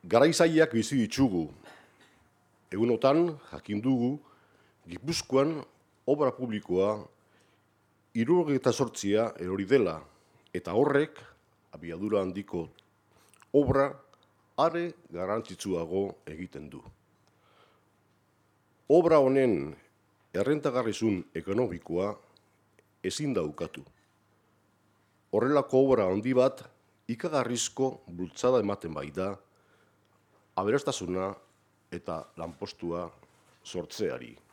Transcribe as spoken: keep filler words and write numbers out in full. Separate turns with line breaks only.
Garaizaiak bizi ditugu. Egunotan jakin dugu Gipuzkoan obra publikoa hirurogeita zortzia erori dela eta horrek abiadura handiko obra are garrantzitsuago egiten du. Obra honen errentagarrizun ekonomikoa ezin da ukatu. Horrelako obra handi bat ikagarrizko bultzada ematen baita aberastasuna eta lanpostua sortzeari.